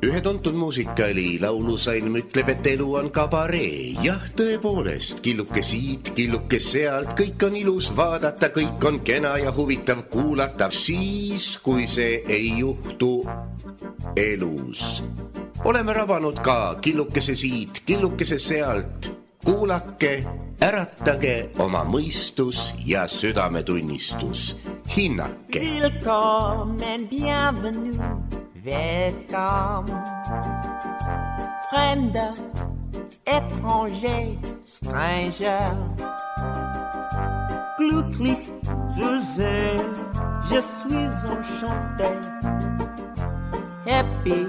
Ühe tuntud muusikali laulusalm ütleb, et elu on kabaree. Jah, tõepoolest, killuke siit, killuke sealt, kõik on ilus vaadata, kõik on kena ja huvitav kuulata, siis, kui see ei juhtu elus. Oleme rabanud ka killukese siit, killukese sealt. Kuulake, äratage oma mõistus ja südametunnistus. Hinnake. Willkommen, bienvenue, welcome. Fremder, étranger, stranger. Glücklich zu sehen, je suis enchanté. Happy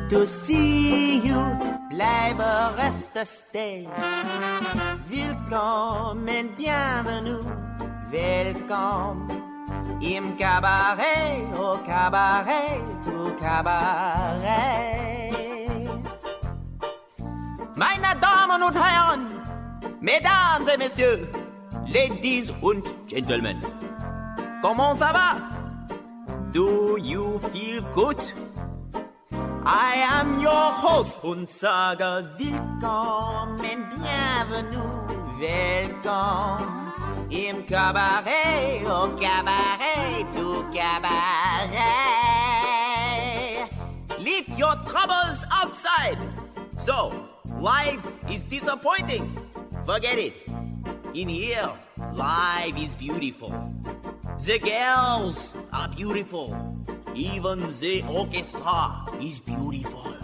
to see you, bleibe reste stay. Willkommen, bienvenue, welcome. Im Cabaret, au Cabaret, au Cabaret. Meine Damen und Herren, Mesdames et Messieurs, Ladies und Gentlemen, comment ça va? Do you feel good? I am your host und sage willkommen, bienvenue, welcome. Im Cabaret, au Cabaret, au Cabaret. Leave your troubles outside. So, life is disappointing. Forget it. In here, life is beautiful. The girls are beautiful. Even the orchestra is beautiful.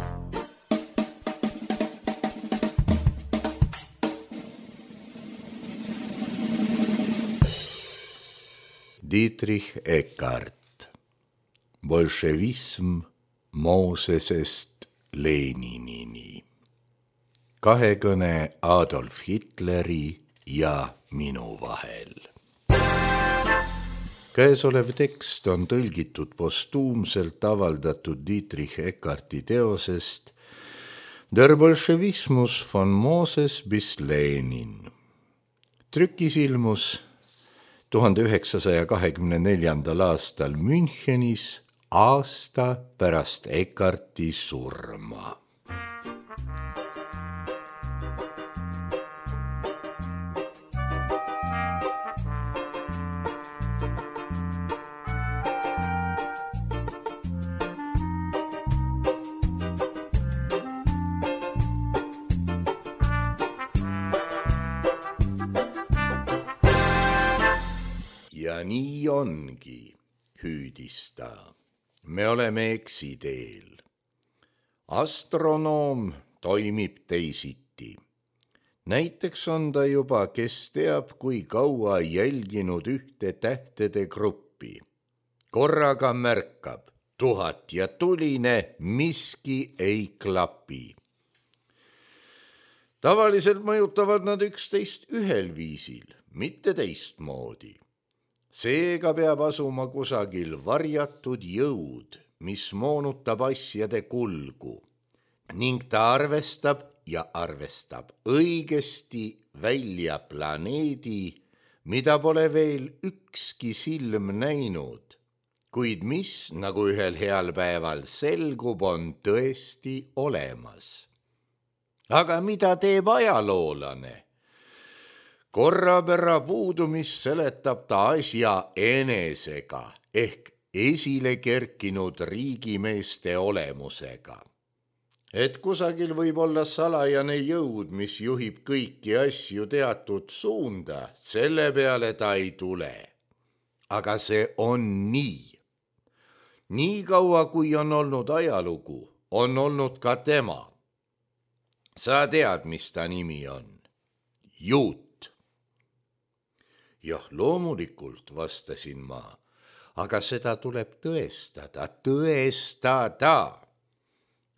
Dietrich Eckart. Bolševism Moosesest Leninini. Kahekõne Adolf Hitleri ja minu vahel. Käesolev tekst on tõlgitud postuumselt avaldatud Dietrich Eckarti teosest Der Bolschewismus von Moses bis Lenin. Trükis ilmus 1924. aastal Münchenis, aasta pärast Eckarti surma. Ja nii ongi, hüüdis ta. Me oleme eksiteel. Astronoom toimib teisiti. Näiteks on ta juba, kes teab, kui kaua jälginud ühte tähtede gruppi. Korraga märkab 1000 ja tuline, miski ei klapi. Tavaliselt mõjutavad nad üksteist ühel viisil, mitte teistmoodi. Seega peab asuma kusagil varjatud jõud, mis moonutab asjade kulgu ning ta arvestab ja arvestab õigesti välja planeedi, mida pole veel ükski silm näinud, kuid mis, nagu ühel heal päeval selgub, on tõesti olemas. Aga mida teeb ajaloolane? Korrapära puudumist seletab ta asja enesega ehk esile kerkinud riigimeeste olemusega. Et kusagil võib olla salajane jõud, mis juhib kõiki asju teatud suunda, selle peale ta ei tule. Aga see on nii. Nii kaua, kui on olnud ajalugu, on olnud ka tema. Sa tead, mis ta nimi on? Juut. Jah, loomulikult, vastasin ma, aga seda tuleb tõestada.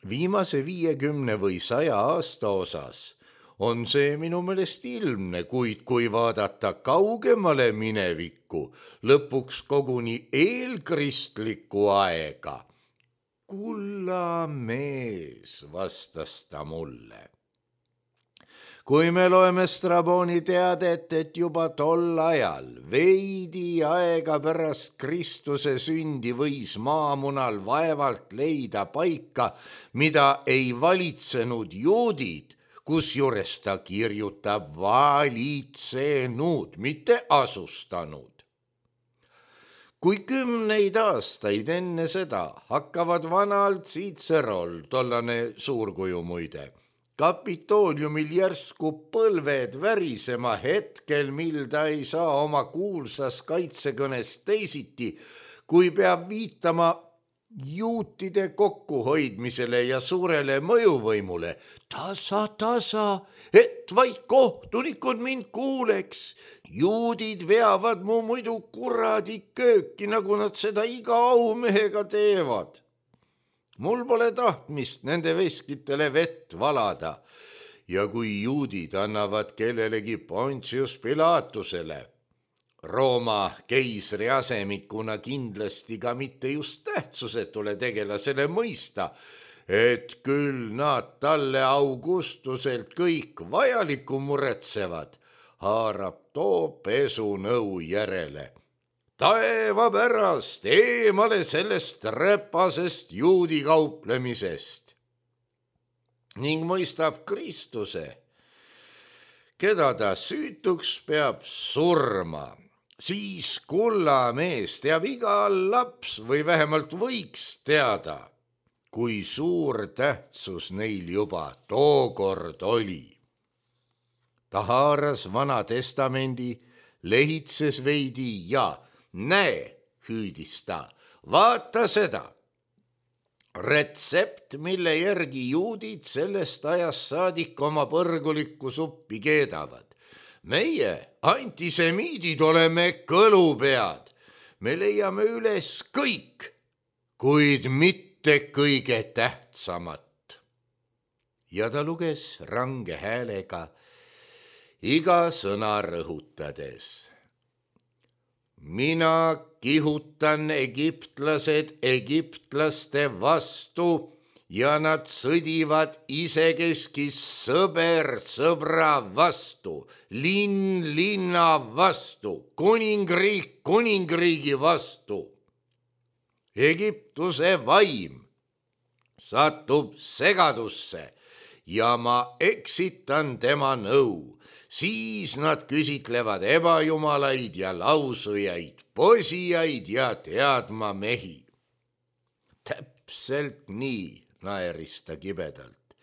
Viimase 50 või 100 aasta osas on see minu meelest ilmne, kuid kui vaadata kaugemale minevikku, lõpuks koguni eelkristlikku aega. Kulla mees, vastas ta mulle. kui me loeme Straboni teadet, et juba tol ajal, veidi aega pärast Kristuse sündi võis maamunal vaevalt leida paika, mida ei valitsenud juudid, kusjuures ta kirjutab valitsenud, mitte asustanud. Kui 10 aastaid enne seda hakkavad vanalt Cicerol, tollane suurkuju muide, Kapitooliumil järsku põlved värisema hetkel, mil ta ei saa oma kuulsas kaitsekõnes teisiti, kui peab viitama juutide kokkuhoidmisele ja suurele mõjuvõimule. Tasa, et vaid kohtunikud mind kuuleks. Juudid veavad mu muidu kuradi kööki, nagu nad seda iga aumehega teevad. Mul pole tahtmist nende veskitele vett valada ja kui juudid annavad kellelegi Pontius Pilatusele, Rooma keisri asemikuna kindlasti ka mitte just tähtsusetule tegelasele mõista, et küll nad talle Augustuselt kõik vajalikku muretsevad, haarab too pesunõu järele. Taeva pärast eemale sellest räpasest juudi kauplemisest ning mõistab Kristuse, keda ta süütuks peab surma. Siis kullamees teab iga laps või vähemalt võiks teada, kui suur tähtsus neil juba tookord oli. Ta haaras Vana Testamendi, lehitses veidi ja näe, hüüdis ta, vaata seda. Retsept, mille järgi juudid sellest ajast saadik oma põrgulikku suppi keedavad. Meie, antisemiidid, oleme kõlupead. Me leiame üles kõik, kuid mitte kõige tähtsamat. Ja ta luges range häälega, iga sõna rõhutades. Mina kihutan egiptlased egiptlaste vastu ja nad sõdivad isekeskis sõber sõbra vastu, linn linna vastu, kuningriik kuningriigi vastu. Egiptuse vaim satub segadusse ja ma eksitan tema nõu. Siis nad küsitlevad ebajumalaid ja lausujaid, posijaid ja teadma mehi. Täpselt nii, naeris ta kibedalt.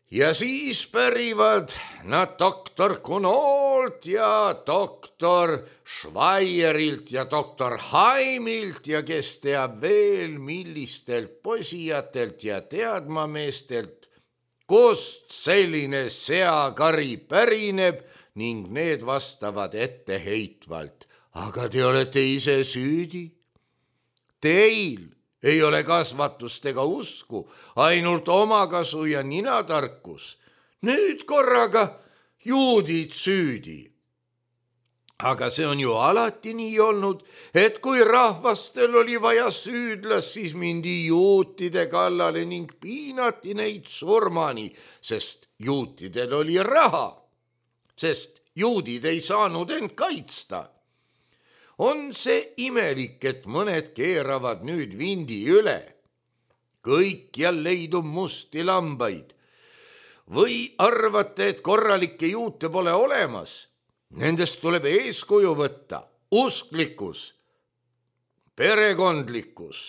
Ja siis pärivad nad doktor Kunolt ja doktor Schweierilt ja doktor Haimilt ja kes teab veel millistelt posijatelt ja teadmameestelt, kust selline seakari pärineb ning need vastavad etteheitvalt. Aga te olete ise süüdi. Teil ei ole kasvatust ega usku, ainult omakasu ja ninatarkus. Nüüd korraga juudid süüdi. Aga see on ju alati nii olnud, et kui rahvastel oli vaja süüdlast, siis mindi juutide kallale ning piinati neid surmani, sest juutidel oli raha, sest juudid ei saanud end kaitsta. On see imelik, et mõned keeravad nüüd vindi üle. Kõikjal leidub musti lambaid. Või arvate, et korralikke juute pole olemas? Nendest tuleb eeskuju võtta, usklikkus, perekondlikkus,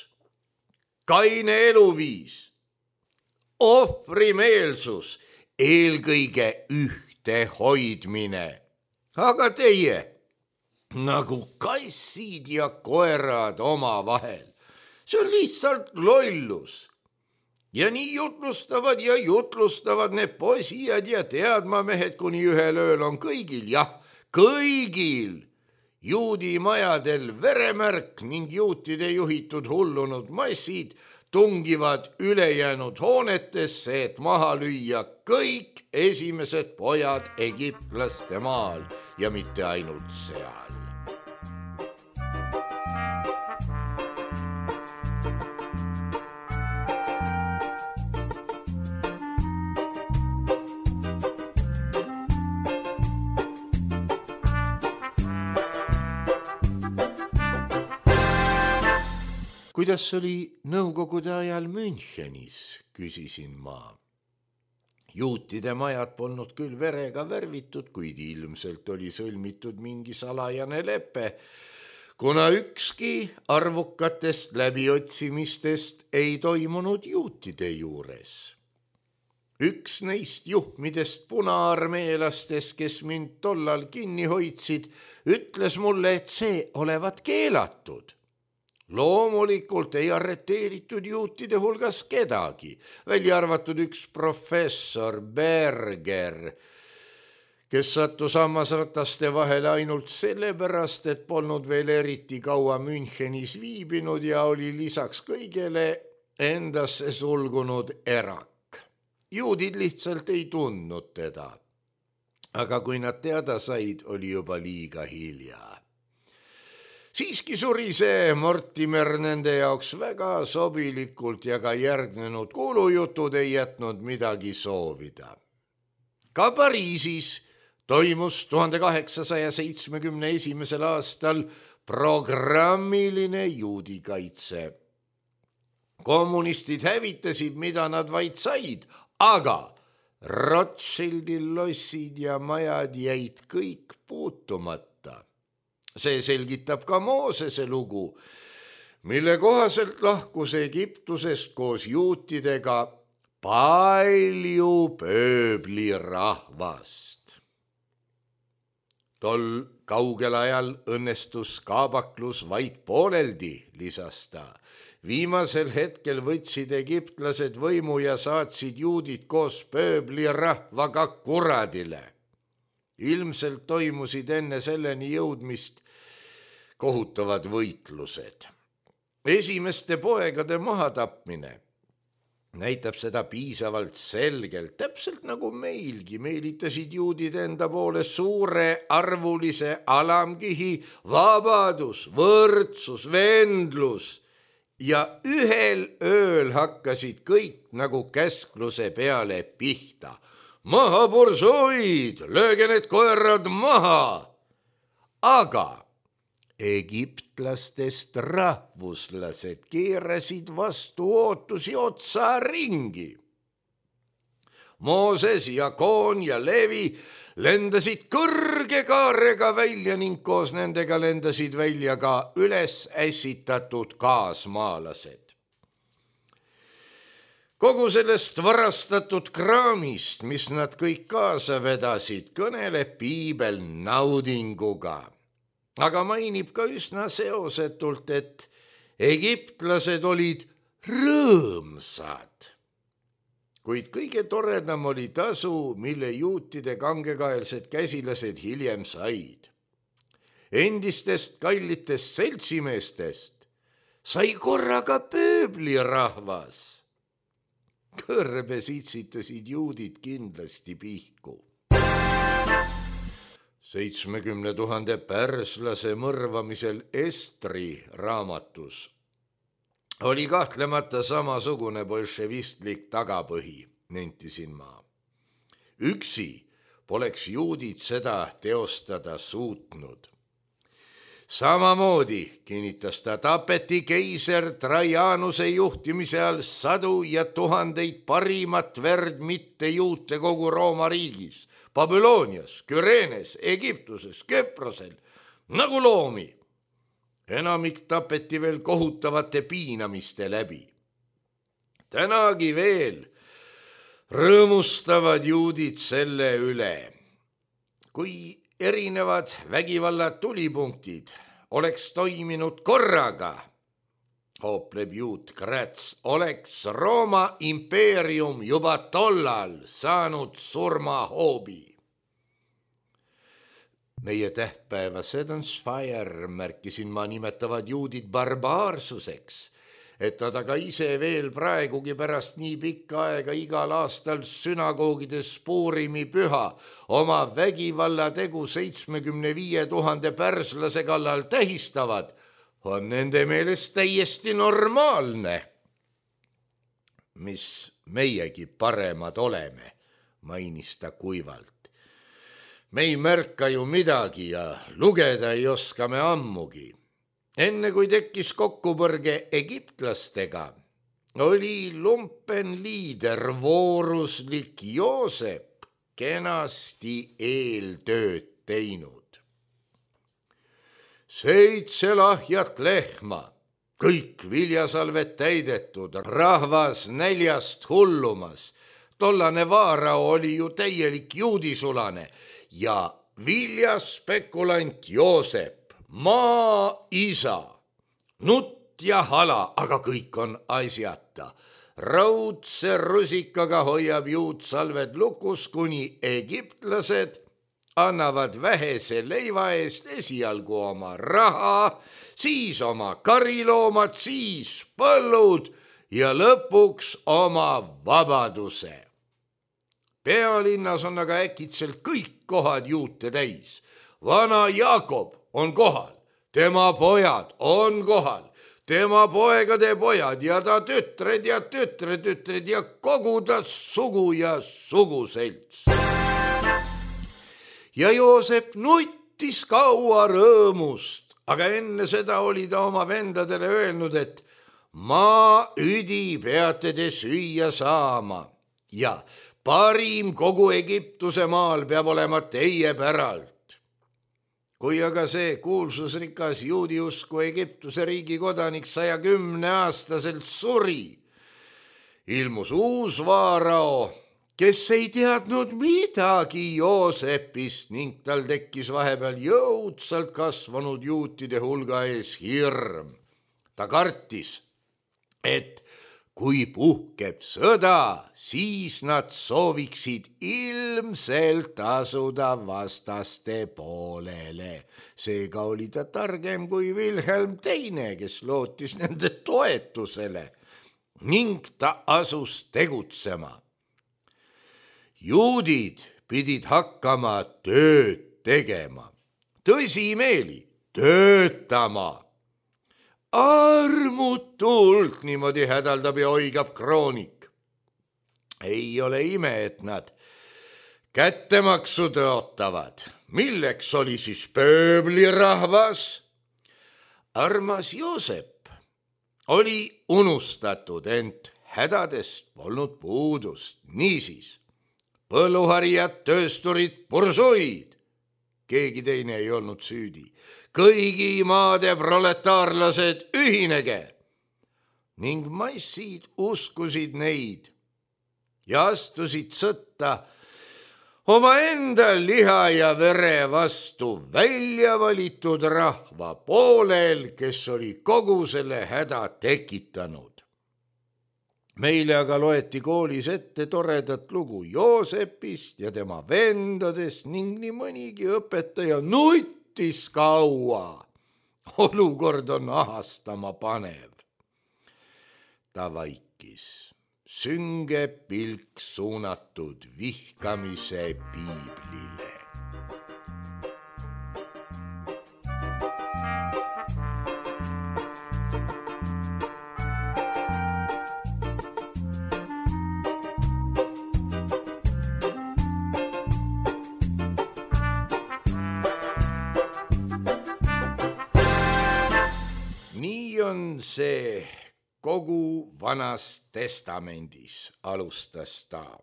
kaine eluviis, ohvrimeelsus, eelkõige ühtehoidmine. Aga teie, nagu kassid ja koerad omavahel, see on lihtsalt lollus. Ja nii jutlustavad need posijad ja teadmamehed, kuni ühel ööl on kõigil, jah, kõigil juudi majadel veremärk ning juutide juhitud hullunud massid tungivad ülejäänud hoonetesse, et maha lüüa kõik esimesed pojad egiptlaste maal ja mitte ainult seal. kuidas oli nõukogude ajal Münchenis, küsisin ma. Juutide majad polnud küll verega värvitud, kuid ilmselt oli sõlmitud mingi salajane lepe, kuna ükski arvukatest läbiotsimistest ei toimunud juutide juures. Üks neist juhmidest punaarmeelastest, kes mind tollal kinni hoidsid, ütles mulle, et see olevat keelatud. Loomulikult ei arreteeritud juutide hulgas kedagi, välja arvatud üks professor Berger, kes sattus hammasrataste vahele ainult sellepärast, et polnud veel eriti kaua Münchenis viibinud ja oli lisaks kõigele endasse sulgunud erak. Juudid lihtsalt ei tundnud teda. Aga kui nad teada said, oli juba liiga hilja. Siiski suri see Mortimer nende jaoks väga sobilikult ja ka järgnenud kuulujutud ei jätnud midagi soovida. Ka Pariisis toimus 1871. aastal programmiline juudikaitse. Kommunistid hävitasid, mida nad vaid said, aga Rothschildi lossid ja majad jäid kõik puutumata. See selgitab ka Moosese lugu, mille kohaselt lahkus Egiptusest koos juutidega palju pööblirahvast. Tol kaugel ajal õnnestus kaabaklus vaid pooleldi, lisas ta. Viimasel hetkel võtsid egiptlased võimu ja saatsid juudid koos pööblirahvaga kuradile. Ilmselt toimusid enne selleni jõudmist kohutavad võitlused. Esimeste poegade mahatapmine näitab seda piisavalt selgelt, täpselt nagu meilgi meelitasid juudid enda poole suure arvulise alamkihi vabadus, võrdsus, vendlus ja ühel ööl hakkasid kõik nagu käskluse peale pihta. Maha bursuid, lööge need koerad maha! Aga egiptlastest rahvuslased keerasid vastu ootusi otsa ringi. Mooses, Jakoon ja Levi lendasid kõrge kaarega välja ning koos nendega lendasid välja ka üles ässitatud kaasmaalased. Kogu sellest varastatud kraamist, mis nad kõik kaasa vedasid, kõneleb piibel naudinguga. Aga mainib ka üsna seosetult, et egiptlased olid rõõmsad. Kuid kõige toredam oli tasu, mille juutide kangekaelsed käsilased hiljem said. Endistest kallitest seltsimeestest sai korraga pööblirahvas. Kõrbe sitsitasid juudid kindlasti pihku. 70 000 pärslase mõrvamisel Estri raamatus oli kahtlemata samasugune bolševistlik tagapõhi, nentisin ma. Üksi poleks juudid seda teostada suutnud. Samamoodi, kinnitas ta, tapeti keiser Trajanuse juhtimise all sadu ja tuhandeid parimat verd mitte juute kogu Rooma riigis, Babylonias, Kürenes, Egiptuses, Küprosel, nagu loomi. Enamik tapeti veel kohutavate piinamiste läbi. Tänagi veel rõõmustavad juudid selle üle. Kui erinevad vägivalla tulipunktid oleks toiminud korraga, hoopleb juut Grätz, oleks Rooma impeerium juba tollal saanud surmahoobi. Meie tähtpäeva Sedensfeier, märkisin ma, nimetavad juudid barbaarsuseks, et nad aga ise veel praegugi pärast nii pikka aega igal aastal sünagoogides Puurimi püha oma vägivallategu 75 000 pärslase kallal tähistavad, on nende meelest täiesti normaalne. Mis meiegi paremad oleme, mainis ta kuivalt. Me ei märka ju midagi ja lugeda ei oska me ammugi. enne kui tekkis kokkupõrge egiptlastega, oli lumpenliider vooruslik Joosep kenasti eeltööd teinud. 7 lahjat lehma, kõik viljasalved täidetud, rahvas näljast hullumas. Tollane vaarao oli ju täielik juudisulane ja viljaspekulant Joosep, maa isa, nutt ja hala, aga kõik on asjata. Raudse rusikaga hoiab juutsalved lukus, kuni egiptlased annavad vähese leiva eest esialgu oma raha, siis oma kariloomad, siis põllud ja lõpuks oma vabaduse. Pealinnas on aga äkitselt kõik kohad juute täis. Vana Jaakob on kohal, tema pojad on kohal, tema poegade pojad ja ta tütred ja tütretütred ja kogu ta sugu ja suguselts. Ja Joosep nuttis kaua rõõmust, aga enne seda oli ta oma vendadele öelnud, et maaüdi peate te süüa saama ja parim kogu Egiptuse maal peab olema teie päralt. Kui aga see kuulsusrikas juudiusku Egiptuse riigi kodanik 110-aastaselt suri, ilmus uus vaarao, kes ei teadnud midagi Joosepist ning tal tekkis vahepeal jõudsalt kasvanud juutide hulga ees hirm. Ta kartis, et kui puhkeb sõda, siis nad sooviksid ilmselt asuda vastaste poolele. Seega oli ta targem kui Wilhelm II, kes lootis nende toetusele ning ta asus tegutsema. Juudid pidid hakkama tööd tegema, tõsimeeli töötama. Armutult, niimoodi hädaldab ja oigab kroonik. Ei ole ime, et nad kättemaksu tõotavad. Milleks oli siis pööblirahvas? Armas Joosep oli unustatud, ent hädadest polnud puudust. Niisiis, põlluharijad, töösturid, bursuid. Keegi teine ei olnud süüdi. Kõigi maade proletaarlased ühinege ning massid uskusid neid ja astusid sõtta omaenda liha ja vere vastu välja valitud rahva poolel, kes oli kogu selle häda tekitanud. Meile aga loeti koolis ette toredat lugu Joosepist ja tema vendadest ning nii mõnigi õpetaja kaua. Olukord on ahastama panev. Ta vaikis, sünge pilk suunatud vihkamise piiblile. On see kogu Vanas Testamendis, alustas ta.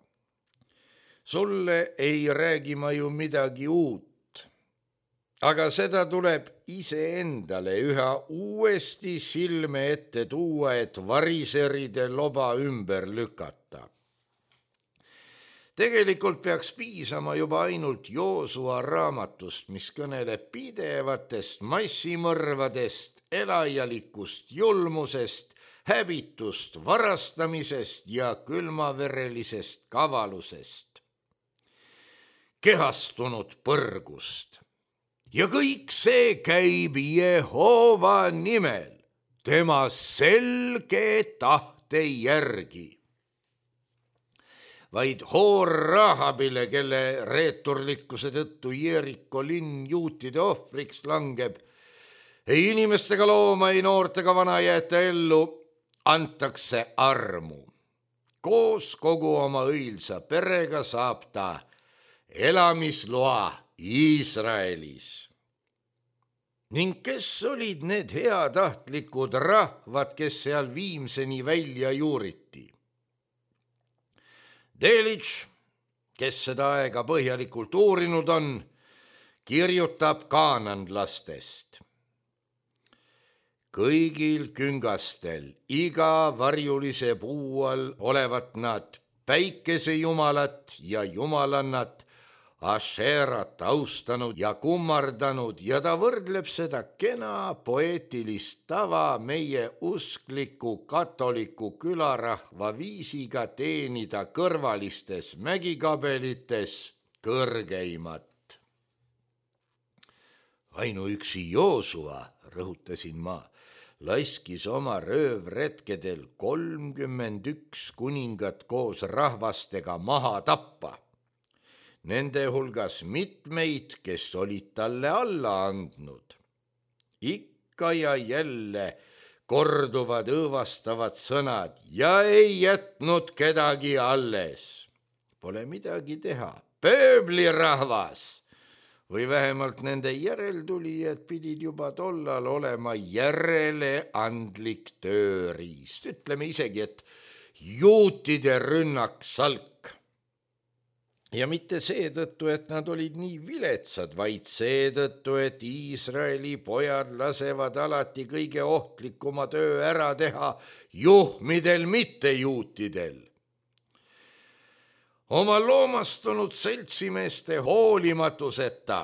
Sulle ei räägi ma ju midagi uut, aga seda tuleb iseendale üha uuesti silme ette tuua, et variseride loba ümber lükata. Tegelikult peaks piisama juba ainult Joosua raamatust, mis kõneleb pidevatest massimõrvadest, elajalikust julmusest, häbitust varastamisest ja külmaverelisest kavalusest, kehastunud põrgust. Ja kõik see käib Jehova nimel, tema selge tahte järgi. Vaid hoor Rahabile, kelle reeturlikkuse tõttu Jeriko linn juutide ohvriks langeb, ei inimestega looma, ei noortega vana jäeta ellu, antakse armu. Koos kogu oma õilsa perega saab ta elamisloa Iisraelis. ning kes olid need heatahtlikud rahvad, kes seal Viimseni välja juuriti? Delitzsch, kes seda aega põhjalikult uurinud on, kirjutab kaananlastest. Kõigil küngastel, iga varjulise puu all olevat nad päikesejumalat ja jumalannat, Ašerat austanud ja kummardanud ja ta võrdleb seda kena poeetilist tava meie uskliku katoliku külarahva viisiga teenida kõrvalistes mägikabelites kõrgeimat. Ainuüksi Joosua, rõhutasin ma, laskis oma röövretkedel 31 kuningat koos rahvastega maha tappa. Nende hulgas mitmeid, kes olid talle alla andnud. Ikka ja jälle korduvad õõvastavad sõnad ja ei jätnud kedagi alles. Pole midagi teha, pööblirahvas või vähemalt nende järeltulijad pidid juba tollal olema järeleandlik tööriist. Ütleme isegi, et juutide rünnaksalk. Ja mitte seetõttu, et nad olid nii viletsad, vaid seetõttu, et Iisraeli pojad lasevad alati kõige ohtlikuma töö ära teha juhmidel, mitte juutidel. Oma loomastunud seltsimeeste hoolimatuseta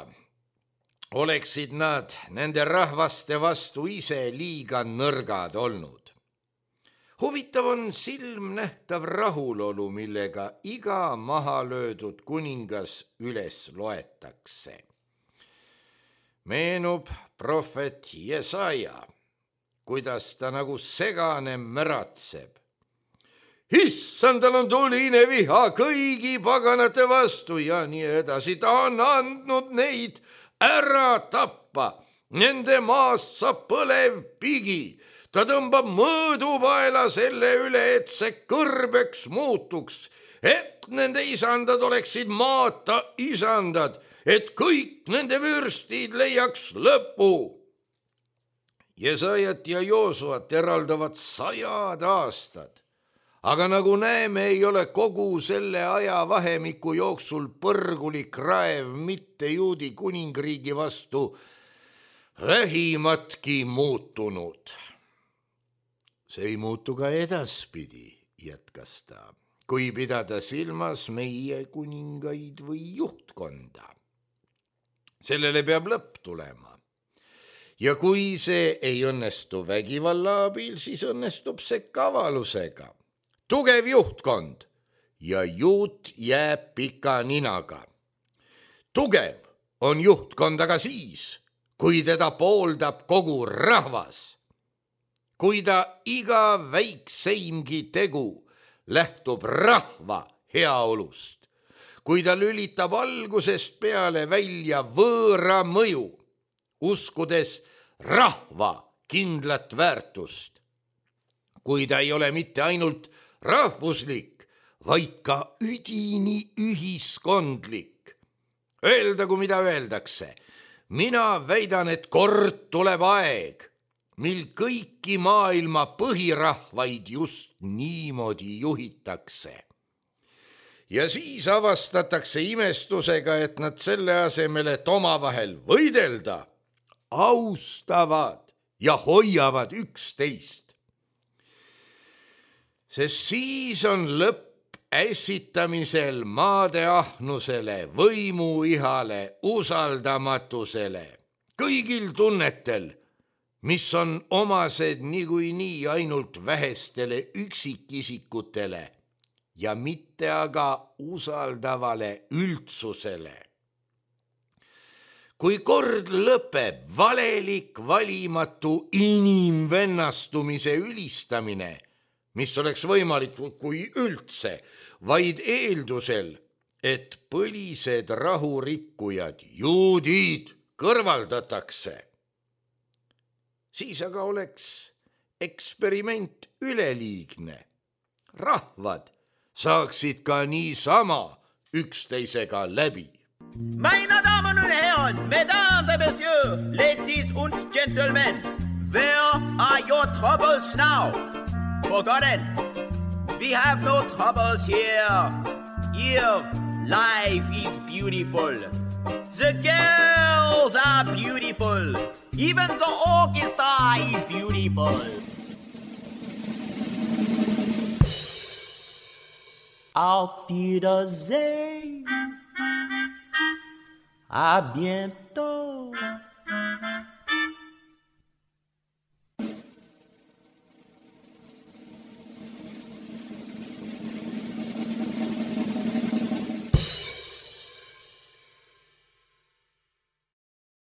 oleksid nad nende rahvaste vastu ise liiga nõrgad olnud. Huvitav on silmnähtav rahulolu, millega iga maha löödud kuningas üles loetakse. Meenub prohvet Jesaja, kuidas ta nagu segane märatseb. Issandal on tuline viha kõigi paganate vastu ja nii edasi. Ta on andnud neid ära tappa. Nende maast saab põlev pigi. Ta tõmbab mõõdupaela selle üle, et see kõrbeks muutuks, et nende isandad oleksid maata isandad, et kõik nende vürstid leiaks lõpu. Jesajat ja Joosuat eraldavad 100 aastad, aga nagu näeme, ei ole kogu selle ajavahemiku jooksul põrgulik raev mitte juudi kuningriigi vastu vähimatki muutunud. See ei muutu ka edaspidi, jätkas ta, kui pidada silmas meie kuningaid või juhtkonda. Sellele peab lõpp tulema. Ja kui see ei õnnestu vägivalla abil, siis õnnestub see kavalusega. Tugev juhtkond ja juut jääb pika ninaga. Tugev on juhtkond aga siis, kui teda pooldab kogu rahvas. Kui ta iga väikseimgi tegu lähtub rahva heaolust, kui ta lülitab algusest peale välja võõra mõju, uskudes rahva kindlat väärtust, kui ta ei ole mitte ainult rahvuslik, vaid ka üdini ühiskondlik. Öeldagu, mida öeldakse, mina väidan, et kord tuleb aeg, mil kõiki maailma põhirahvaid just niimoodi juhitakse. Ja siis avastatakse imestusega, et nad selle asemel, et omavahel võidelda, austavad ja hoiavad üksteist. Sest siis on lõpp ässitamisel, maade ahnusele, võimuihale, usaldamatusele, kõigil tunnetel, mis on omased niikuinii ainult vähestele üksikisikutele ja mitte aga usaldavale üldsusele. Kui kord lõpeb valelik valimatu inimvennastumise ülistamine, mis oleks võimalik kui üldse, vaid eeldusel, et põlised rahurikkujad, juudid, kõrvaldatakse, siis aga oleks eksperiment üleliigne. Rahvad saaksid ka niisama üksteisega läbi. Meine Damen und Herren, Mesdames et Messieurs, Ladies und Gentlemen, where are your troubles now? Forgotten. We have no troubles here. Here, life is beautiful. The girls are beautiful. Even the orchestra is beautiful. Auf Wiedersehen. À bientôt.